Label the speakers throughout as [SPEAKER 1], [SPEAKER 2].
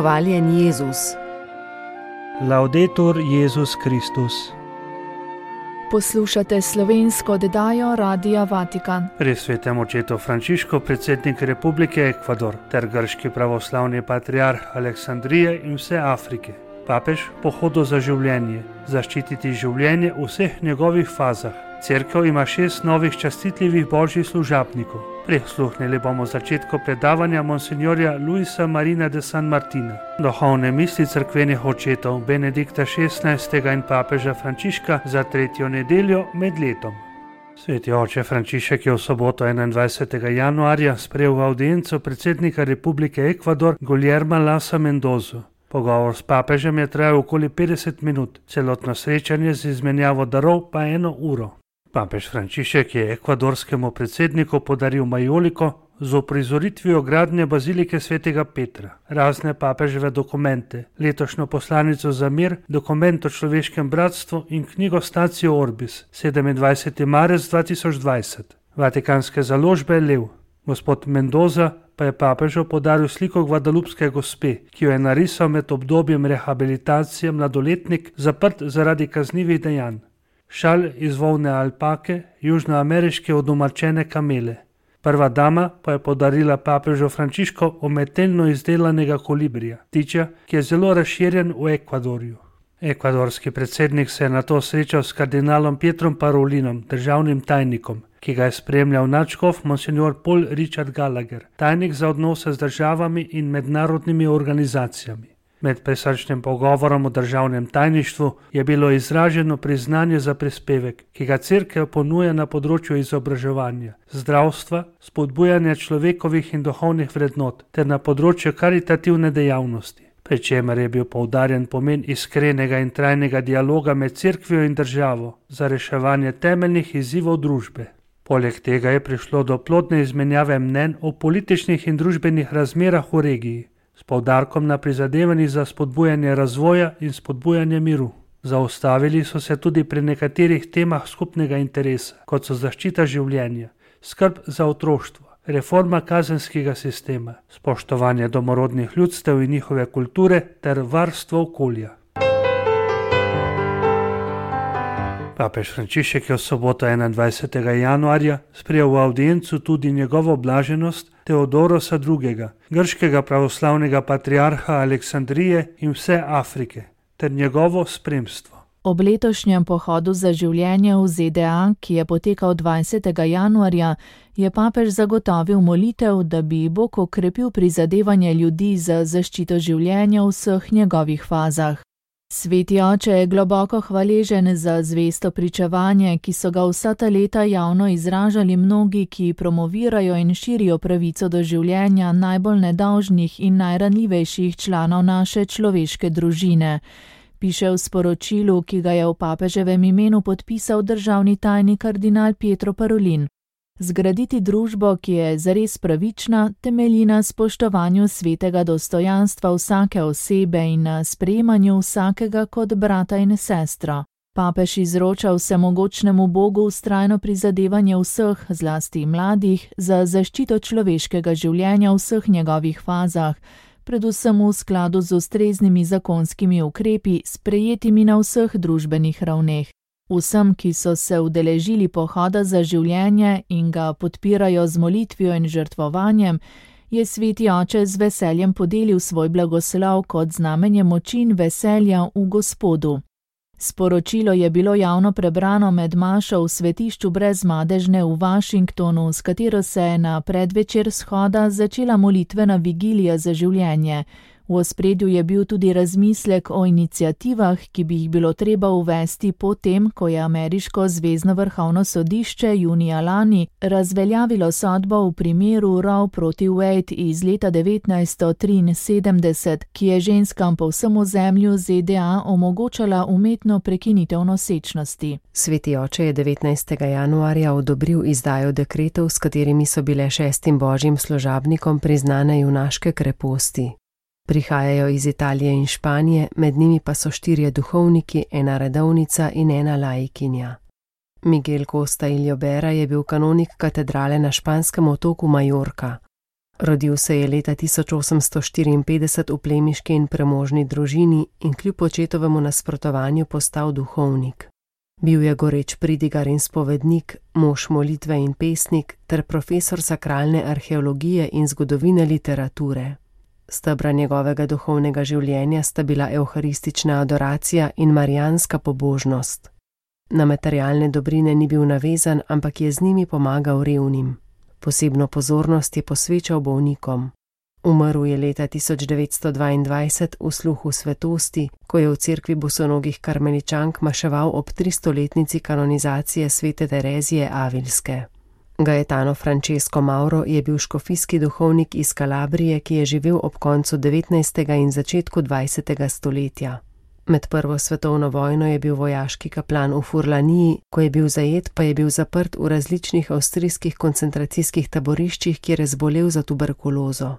[SPEAKER 1] Hvaljen Jezus.
[SPEAKER 2] Laudetur Jezus Kristus.
[SPEAKER 3] Poslušate slovensko oddajo Radia Vatikan.
[SPEAKER 2] Pri svetem očetu Frančišku, predsednik Republike Ekvador, ter grški pravoslavni patriarh Aleksandrije in vse Afrike. Papež pohodu za življenje, zaščititi življenje v vseh njegovih fazah. Cerkev ima 6 novih častitljivih božjih služabnikov. Prisluhnili bomo začetku predavanja monsinjorja Luisa Marina de San Martina, duhovne misli cerkvenih očetov Benedikta XVI. In papeža Frančiška za 3. nedeljo med letom. Sveti oče Frančišek je v soboto 21. januarja sprejel v avdienco predsednika Republike Ekvador Guillerma Lasso Mendozo. Pogovor s papežem je trajal okoli 50 minut, celotno srečanje z izmenjavo darov pa 1 uro. Papež Frančišek je ekvadorskemu predsedniku podaril majoliko z uprizoritvijo gradnje bazilike svetega Petra, razne papeževe dokumente, letošnjo poslanico za mir, dokument o človeškem bratstvu in knjigo Statio Orbis, 27. marec 2020. Vatikanske založbe Lev. Gospod Mendoza pa je papežu podaril sliko Gvadalupske gospe, ki jo je narisal med obdobjem rehabilitacije mladoletnik zaprt zaradi kaznivih dejanj. Šal iz volne alpake, južnoameriške odomačene kamele. Prva dama pa je podarila papežu Frančišku umetelno izdelanega kolibrija, ptiča, ki je zelo razširjen v Ekvadorju. Ekvadorski predsednik se je nato srečal s kardinalom Pietrom Parolinom, državnim tajnikom, ki ga je spremljal nadškof monsignor Paul Richard Gallagher, tajnik za odnose z državami in mednarodnimi organizacijami. Med presrčnim pogovorom o državnem tajništvu je bilo izraženo priznanje za prispevek, ki ga cerkev ponuja na področju izobraževanja, zdravstva, spodbujanja človekovih in duhovnih vrednot ter na področju karitativne dejavnosti, pri čemer je bil poudarjen pomen iskrenega in trajnega dialoga med cerkvijo in državo za reševanje temeljnih izzivov družbe. Poleg tega je prišlo do plodne izmenjave mnenj o političnih in družbenih razmerah v regiji, s poudarkom na prizadevanjih za spodbujanje razvoja in spodbujanje miru. Zaustavili so se tudi pri nekaterih temah skupnega interesa, kot so zaščita življenja, skrb za otroštvo, reforma kazenskega sistema, spoštovanje domorodnih ljudstev in njihove kulture ter varstvo okolja. Papež Frančišek je v soboto 21. januarja sprejel v avdiencu tudi njegovo blaženost Teodorosa II., grškega pravoslavnega patriarha Aleksandrije in vse Afrike, ter njegovo spremstvo.
[SPEAKER 3] Ob letošnjem pohodu za življenje v ZDA, ki je potekal 20. januarja, je papež zagotovil molitev, da bi Bog okrepil prizadevanje ljudi za zaščito življenja v vseh njegovih fazah. Sveti oče je globoko hvaležen za zvesto pričevanje, ki so ga vsa ta leta javno izražali mnogi, ki promovirajo in širijo pravico do življenja najbolj nedolžnih in najranljivejših članov naše človeške družine, piše v sporočilu, ki ga je v papeževem imenu podpisal državni tajnik kardinal Pietro Parolin. Zgraditi družbo, ki je zares pravična, temelji na spoštovanju svetega dostojanstva vsake osebe in na sprejemanju vsakega kot brata in sestro. Papež izroča vsemogočnemu Bogu vztrajno prizadevanje vseh, zlasti mladih, za zaščito človeškega življenja v vseh njegovih fazah, predvsem v skladu z ustreznimi zakonskimi ukrepi, sprejetimi na vseh družbenih ravneh. Vsem, ki so se udeležili pohoda za življenje in ga podpirajo z molitvijo in žrtvovanjem, je sveti oče z veseljem podelil svoj blagoslov kot znamenje moči in veselja v Gospodu. Sporočilo je bilo javno prebrano med mašo v svetišču Brezmadežne v Washingtonu, s katero se je na predvečer shoda začela molitvena vigilija za življenje. V ospredju je bil tudi razmislek o iniciativah, ki bi jih bilo treba uvesti potem, ko je ameriško zvezno vrhovno sodišče junija lani razveljavilo sodbo v primeru Roe proti Wade iz leta 1973, ki je ženskam po vsem ozemlju ZDA omogočala umetno prekinitev nosečnosti.
[SPEAKER 1] Sveti oče je 19. januarja odobril izdajo dekretov, s katerimi so bile 6 božjim služabnikom priznane junaške kreposti. Prihajajo iz Italije in Španije, med njimi pa so 4 duhovniki, 1 redovnica in 1 laikinja. Miguel Costa Iliobera je bil kanonik katedrale na španskem otoku Majorka. Rodil se je leta 1854 v plemiški in premožni družini in kljub očetovemu nasprotovanju postal duhovnik. Bil je goreč pridigar in spovednik, mož molitve in pesnik ter profesor sakralne arheologije in zgodovine literature. Stebra njegovega duhovnega življenja sta bila evharistična adoracija in marijanska pobožnost. Na materialne dobrine ni bil navezan, ampak je z njimi pomagal revnim. Posebno pozornost je posvečal bolnikom. Umrl je leta 1922 v sluhu svetosti, ko je v cerkvi bosonogih karmeličank maševal ob 300-letnici kanonizacije svete Terezije Avilske. Gaetano Francesco Mauro je bil škofijski duhovnik iz Kalabrije, ki je živel ob koncu 19. in začetku 20. stoletja. Med prvo svetovno vojno je bil vojaški kaplan v Furlaniji, ko je bil zajet, pa je bil zaprt v različnih avstrijskih koncentracijskih taboriščih, kjer je zbolel za tuberkulozo.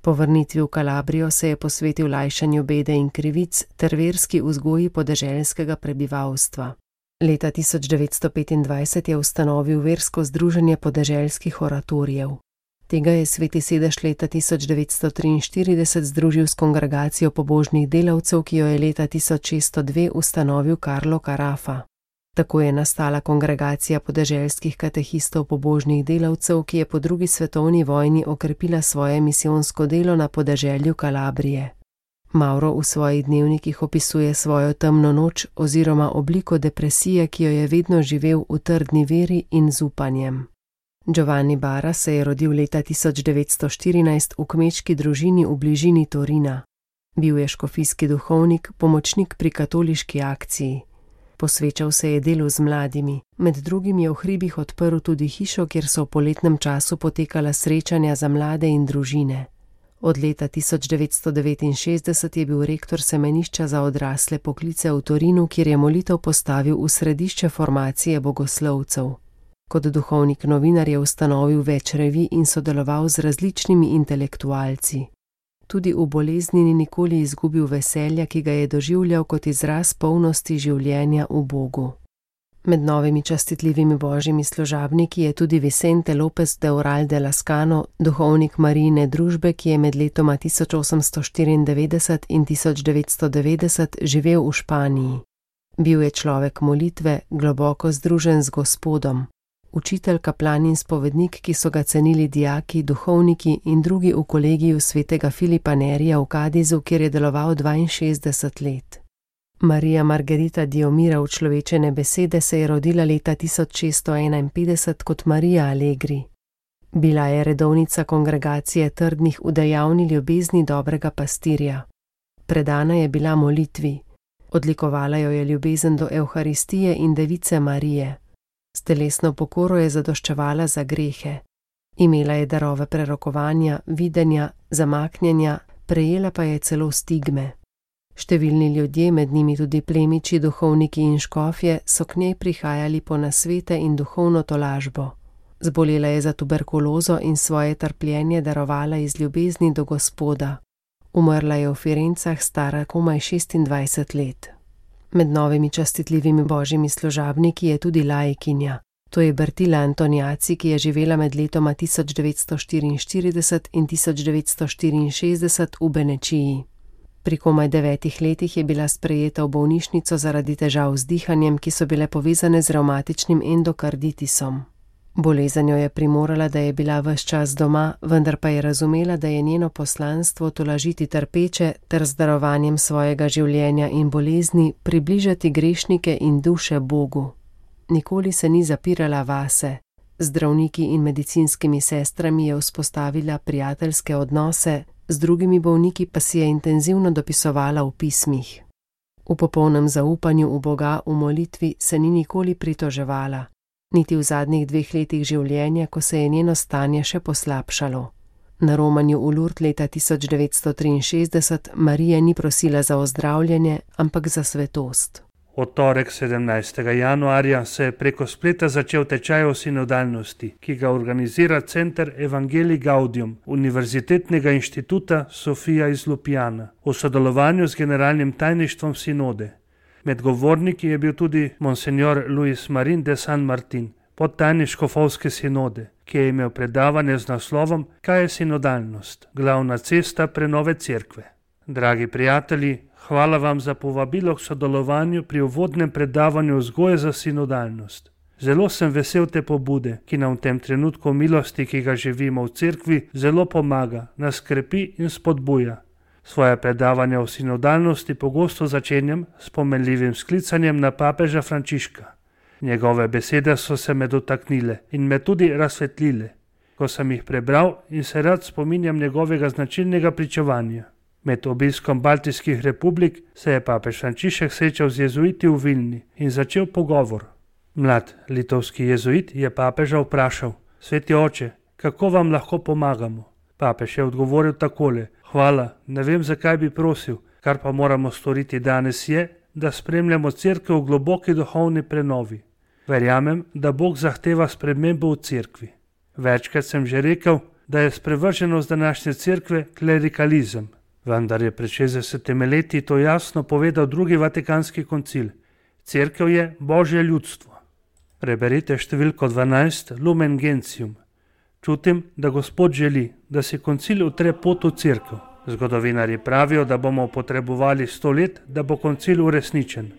[SPEAKER 1] Po vrnitvi v Kalabrijo se je posvetil lajšanju bede in krivic ter verski vzgoji podeželskega prebivalstva. Leta 1925 je ustanovil versko združenje podeželskih oratorijev. Tega je sveti sedež leta 1943 združil s kongregacijo pobožnih delavcev, ki jo je leta 1602 ustanovil Carlo Carafa. Tako je nastala kongregacija podeželskih katehistov pobožnih delavcev, ki je po drugi svetovni vojni okrepila svoje misijonsko delo na podeželju Kalabrije. Mauro v svojih dnevnikih opisuje svojo temno noč oziroma obliko depresije, ki jo je vedno živel v trdni veri in z upanjem. Giovanni Bara se je rodil leta 1914 v kmečki družini v bližini Torina. Bil je škofijski duhovnik, pomočnik pri katoliški akciji. Posvečal se je delu z mladimi, med drugim je v hribih odprl tudi hišo, kjer so v poletnem času potekala srečanja za mlade in družine. Od leta 1969 je bil rektor semenišča za odrasle poklice v Torinu, kjer je molitev postavil v središče formacije bogoslovcev. Kot duhovnik novinar je ustanovil več revij in sodeloval z različnimi intelektualci. Tudi v bolezni ni nikoli izgubil veselja, ki ga je doživljal kot izraz polnosti življenja v Bogu. Med novimi častitljivimi božjimi služabniki je tudi Vicente López de Oral de Lascano, duhovnik Marijine družbe, ki je med letoma 1894 in 1990 živel v Španiji. Bil je človek molitve, globoko združen z Gospodom. Učitelj, kaplan in spovednik, ki so ga cenili dijaki, duhovniki in drugi v kolegiju svetega Filipa Nerija v Kadizu, kjer je deloval 62 let. Marija Margarita Diomira v Človečene besede se je rodila leta 1651 kot Marija Allegri. Bila je redovnica kongregacije trdnih v dejavni ljubezni dobrega pastirja. Predana je bila molitvi. Odlikovala jo je ljubezen do Evharistije in Device Marije. S telesno pokoro je zadoščevala za grehe. Imela je darove prerokovanja, videnja, zamaknjenja, prejela pa je celo stigme. Številni ljudje, med njimi tudi plemiči, duhovniki in škofje, so k njej prihajali po nasvete in duhovno tolažbo. Zbolela je za tuberkulozo in svoje trpljenje darovala iz ljubezni do Gospoda. Umrla je v Firencah, stara komaj 26 let. Med novimi častitljivimi božjimi služabniki je tudi laikinja. To je Bertila Antoniaci, ki je živela med letoma 1944 in 1964 v Benečiji. Pri komaj 9 letih je bila sprejeta v bolnišnico zaradi težav z dihanjem, ki so bile povezane z revmatičnim endokarditisom. Bolezen jo je primorala, da je bila ves čas doma, vendar pa je razumela, da je njeno poslanstvo tolažiti trpeče ter z darovanjem svojega življenja in bolezni približati grešnike in duše Bogu. Nikoli se ni zapirala vase. Z zdravniki in medicinskimi sestrami je vzpostavila prijateljske odnose, z drugimi bolniki pa si je intenzivno dopisovala v pismih. V popolnem zaupanju v Boga v molitvi se ni nikoli pritoževala. Niti v zadnjih 2 letih življenja, ko se je njeno stanje še poslabšalo. Na romanju v Lourdes leta 1963 Marija ni prosila za ozdravljenje, ampak za svetost.
[SPEAKER 2] V torek 17. januarja se je preko spleta začel tečaj o sinodalnosti, ki ga organizira Center Evangelii Gaudium Univerzitetnega inštituta Sofia iz Ljubljane v sodelovanju z generalnim tajništvom sinode. Med govorniki je bil tudi monsignor Luis Marin de San Martin, podtajnik škofovske sinode, ki je imel predavanje z naslovom Kaj je sinodalnost? Glavna cesta prenove cerkve. Dragi prijatelji, hvala vam za povabilo k sodelovanju pri uvodnem predavanju vzgoje za sinodalnost. Zelo sem vesel te pobude, ki nam v tem trenutku milosti, ki ga živimo v cerkvi, zelo pomaga, nas krepi in spodbuja. Svoje predavanja o sinodalnosti pogosto začenjam s pomenljivim sklicanjem na papeža Frančiška. Njegove besede so se me dotaknile in me tudi razsvetlile, ko sem jih prebral in se rad spominjam njegovega značilnega pričevanja. Med obiskom Baltijskih republik se je papež Frančišek srečal z jezuiti v Vilni in začel pogovor. Mlad litovski jezuit je papeža vprašal: Sveti oče, kako vam lahko pomagamo? Papež je odgovoril takole: Hvala, ne vem, zakaj bi prosil, kar pa moramo storiti danes je, da spremljamo cerkev v globoki duhovni prenovi. Verjamem, da Bog zahteva spremembo v cerkvi. Večkrat sem že rekel, da je sprevrženost današnje cerkve klerikalizem. Vendar je pred 60 leti to jasno povedal drugi Vatikanski koncil. Cerkev je Božje ljudstvo. Preberite številko 12 Lumen Gentium. Čutim, da Gospod želi, da si koncil utre pot v cerkev. Zgodovinarji pravijo, da bomo potrebovali 100 let, da bo koncil uresničen.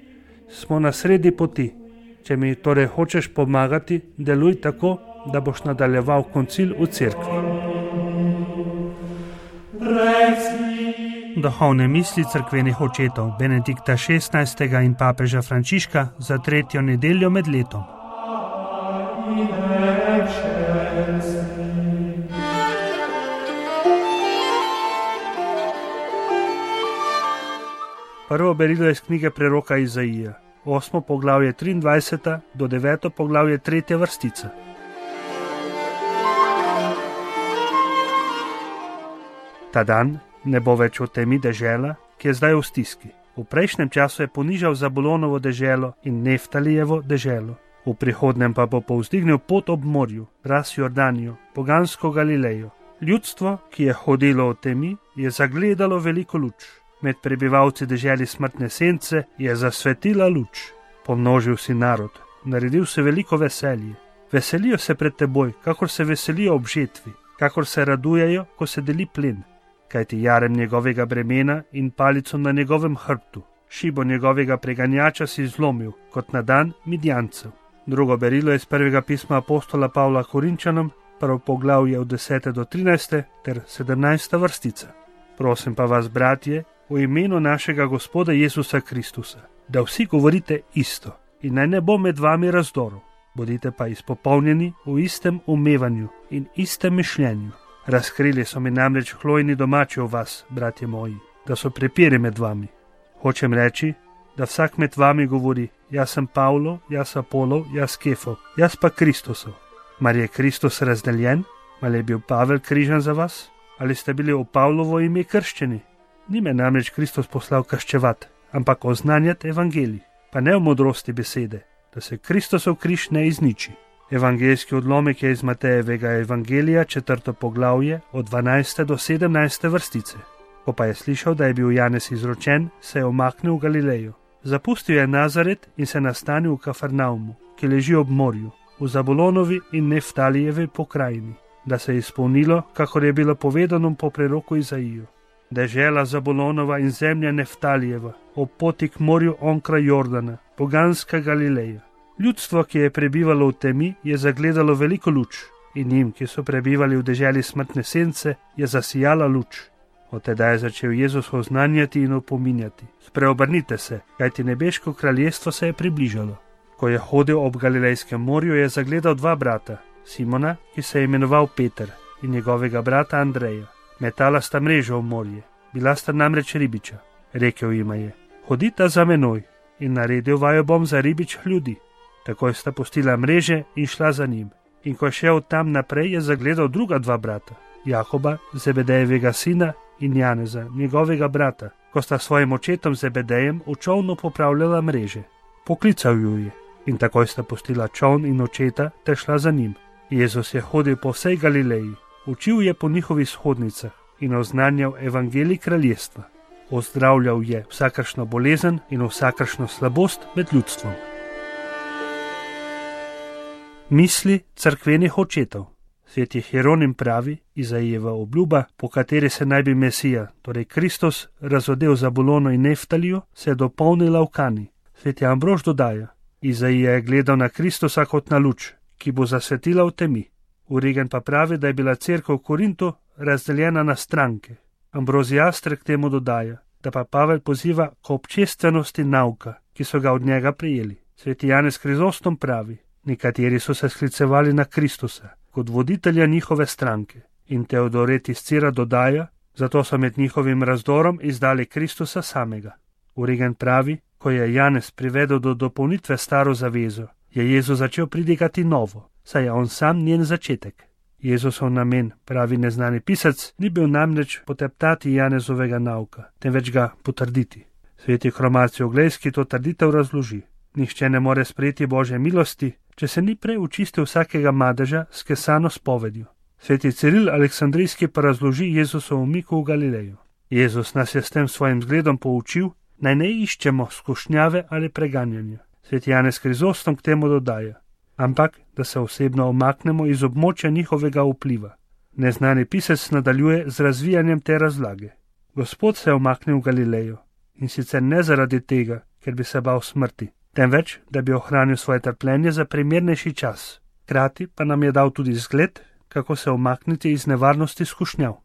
[SPEAKER 2] Smo na sredi poti. Če mi torej hočeš pomagati, deluj tako, da boš nadaljeval koncil v cerkvi. Duhovne misli cerkvenih očetov Benedikta XVI. In papeža Frančiška za 3. nedeljo med letom. Prvo berilo iz knjige preroka Izaija, 8. poglavje 23. do 9. poglavje 3. vrstica. Ta dan ne bo več v temi dežela, ki je zdaj v stiski. V prejšnjem času je ponižal Zabulonovo deželo in Neftalijevo deželo. V prihodnem pa bo povzdignil pot ob morju, raz Jordanijo, pogansko Galilejo. Ljudstvo, ki je hodilo v temi, je zagledalo veliko luč. Med prebivalci deželi smrtne sence je zasvetila luč. Pomnožil si narod, naredil se veliko veselje. Veselijo se pred teboj, kakor se veselijo ob žetvi, kakor se radujejo, ko se deli plen. Kajti jarem njegovega bremena in palico na njegovem hrbtu, šibo njegovega preganjača si zlomil, kot na dan Midjancev. Drugo berilo je iz prvega pisma apostola Pavla Korinčanom, prvo poglavje od 10. do 13. ter 17. vrstica. Prosim pa vas, bratje, v imenu našega Gospoda Jezusa Kristusa, da vsi govorite isto in naj ne bo med vami razdorov, bodite pa izpopolnjeni v istem umevanju in istem mišljenju. Razkrili so mi namreč hlojni domači v vas, bratje moji, da so prepiri med vami. Hočem reči, da vsak med vami govori: jaz sem Pavlo, jaz Apolov, jaz Kefov, jaz pa Kristusov. Mar je Kristus razdeljen? Ali je bil Pavel križan za vas? Ali ste bili v Pavlovo ime krščeni? Ni me namreč Kristus poslal krščevati, ampak oznanjati evangelij, pa ne v modrosti besede, da se Kristusov križ ne izniči. Evangeljski odlomek je iz Matejevega evangelija, 4. poglavje, od 12. do 17. vrstice. Ko pa je slišal, da je bil Janez izročen, se je omaknil v Galilejo. Zapustil je Nazaret in se nastanil v Kafarnaumu, ki leži ob morju, v Zabulonovi in Neftalijevi pokrajini, da se je izpolnilo, kakor je bilo povedano po preroku Izaiju. Dežela Zabulonova in zemlja Neftalijeva, ob poti k morju onkraj Jordana, poganska Galileja. Ljudstvo, ki je prebivalo v temi, je zagledalo veliko luč in njim, ki so prebivali v deželi smrtne sence, je zasijala luč. Od tedaj je začel Jezus oznanjati in opominjati: spreobrnite se, kajti nebeško kraljestvo se je približalo. Ko je hodil ob Galilejskem morju, je zagledal dva brata, Simona, ki se je imenoval Peter, in njegovega brata Andreja. Metala sta mrežo v morje, bila sta namreč ribiča. Rekel jima je: hodita za menoj in naredil vaju bom za ribič ljudi. Takoj sta pustila mreže in šla za njim. In ko je šel tam naprej, je zagledal druga dva brata, Jakoba, Zebedejevega sina, in Janeza, njegovega brata, ko sta svojim očetom Zebedejem v čolnu popravljala mreže. Poklical ju je in takoj sta pustila čoln in očeta ter šla za njim. Jezus je hodil po vsej Galileji, učil je po njihovih shodnicah in oznanjal evangelij kraljestva. Ozdravljal je vsakršno bolezen in vsakršno slabost med ljudstvom. Misli cerkvenih očetov. Sveti Hieronim pravi, Izaijeva obljuba, po kateri se naj bi Mesija, torej Kristus, razodel Zabulono in Neftalijo, se je dopolnila v Kani. Sveti Ambrož dodaja, Izaija je gledal na Kristusa kot na luč, ki bo zasvetila v temi. Origen pa pravi, da je bila cerkev v Korintu razdeljena na stranke. Ambrozijastr k temu dodaja, da pa Pavel poziva k občestvenosti nauka, ki so ga od njega prijeli. Sveti Janez Krizostom pravi, nekateri so se sklicevali na Kristusa kot voditelja njihove stranke, in Teodoret iz Cira dodaja, zato so med njihovim razdorom izdali Kristusa samega. Origen pravi, ko je Janez privedel do dopolnitve staro zavezo, je Jezus začel pridigati novo, saj je on sam njen začetek. Jezusov namen, pravi neznani pisec, ni bil namreč poteptati Janezovega nauka, temveč ga potrditi. Sveti Hromacij Oglejski to trditev razloži. Nihče ne more sprejeti Božje milosti, če se ni prej očistil vsakega madeža s kesano spovedjo. Sveti Ciril Aleksandrijski pa razloži Jezusov umik v Galilejo. Jezus nas je s tem svojim zgledom poučil, naj ne iščemo skušnjave ali preganjanja. Sveti Janez Krizostom k temu dodaja, ampak da se osebno omaknemo iz območja njihovega vpliva. Neznani pisec nadaljuje z razvijanjem te razlage. Gospod se je omaknil v Galilejo, in sicer ne zaradi tega, ker bi se bal smrti, temveč, da bi ohranil svoje trpljenje za primernejši čas. Hkrati pa nam je dal tudi zgled, kako se omakniti iz nevarnosti skušnjav.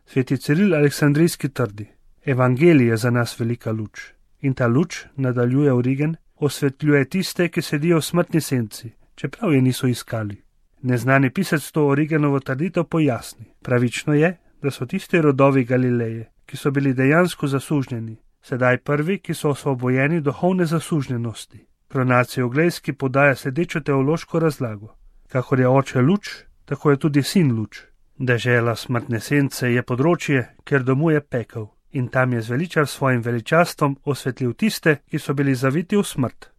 [SPEAKER 2] Sveti Ciril Aleksandrijski trdi, Evangelij je za nas velika luč. In ta luč, nadaljuje Origen, osvetljuje tiste, ki sedijo v smrtni senci, čeprav je niso iskali. Neznani pisec to Origenovo trditev pojasni. Pravično je, da so tisti rodovi Galileje, ki so bili dejansko zasužnjeni, sedaj prvi, ki so osvobojeni duhovne zasužnjenosti. Hromacij Oglejski podaja sledečo teološko razlago. Kakor je oče luč, tako je tudi sin luč. Dežela smrtne sence je področje, kjer domuje pekel, in tam je zveličar svojim veličastvom osvetlil tiste, ki so bili zaviti v smrt.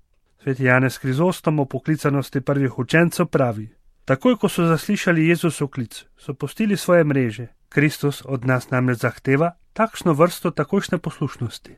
[SPEAKER 2] Sveti Janez Krizostom o poklicanosti prvih učencev pravi, takoj ko so zaslišali Jezusov klic, so pustili svoje mreže. Kristus od nas namreč zahteva takšno vrsto takojšnje poslušnosti.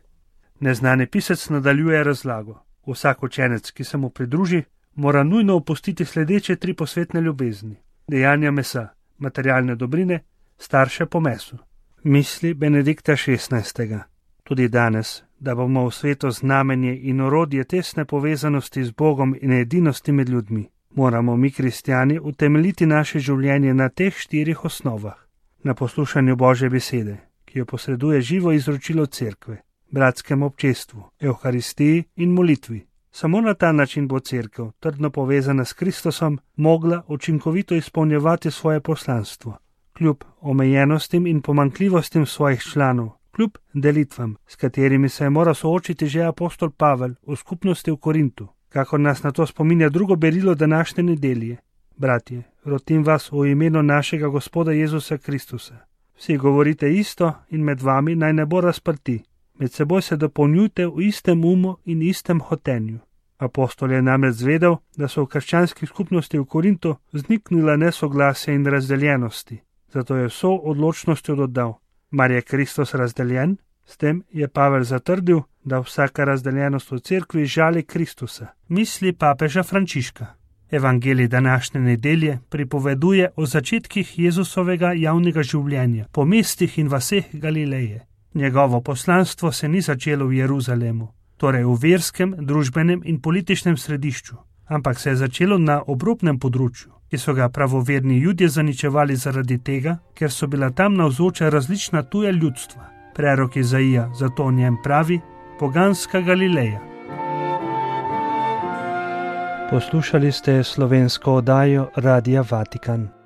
[SPEAKER 2] Neznani pisec nadaljuje razlago. Vsak učenec, ki se mu pridruži, mora nujno opustiti sledeče 3 posvetne ljubezni. Dejanja mesa, materialne dobrine, starše po mesu. Misli Benedikta XVI. Tudi danes, da bomo v svetu znamenje in orodje tesne povezanosti z Bogom in edinosti med ljudmi, moramo mi kristjani utemeljiti naše življenje na teh 4 osnovah. Na poslušanju Božje besede, ki jo posreduje živo izročilo cerkve, bratskem občestvu, evharistiji in molitvi. Samo na ta način bo cerkev, trdno povezana s Kristusom, mogla učinkovito izpolnjevati svoje poslanstvo. Kljub omejenostim in pomanjkljivostim svojih članov, kljub delitvam, s katerimi se je moral soočiti že apostol Pavel v skupnosti v Korintu, kakor nas na to spominja drugo berilo današnje nedelje. Bratje, rotim vas v imenu našega Gospoda Jezusa Kristusa. Vsi govorite isto in med vami naj ne bo razprti. Med seboj se dopolnjujte v istem umu in istem hotenju. Apostol je namreč zvedel, da so v krščanskih skupnosti v Korintu vzniknila nesoglasja in razdeljenosti. Zato je vso odločnostjo dodal, mar je Kristus razdeljen? S tem je Pavel zatrdil, da vsaka razdeljenost v cerkvi žali Kristusa. Misli papeža Frančiška. Evangelij današnje nedelje pripoveduje o začetkih Jezusovega javnega življenja po mestih in vaseh Galileje. Njegovo poslanstvo se ni začelo v Jeruzalemu, torej v verskem, družbenem in političnem središču, ampak se je začelo na obrobnem področju, ki so ga pravoverni Judje zaničevali zaradi tega, ker so bila tam navzoča različna tuja ljudstva. Prerok Izaija zato o njem pravi poganska Galileja. Poslušali ste slovensko oddajo Radia Vatikan.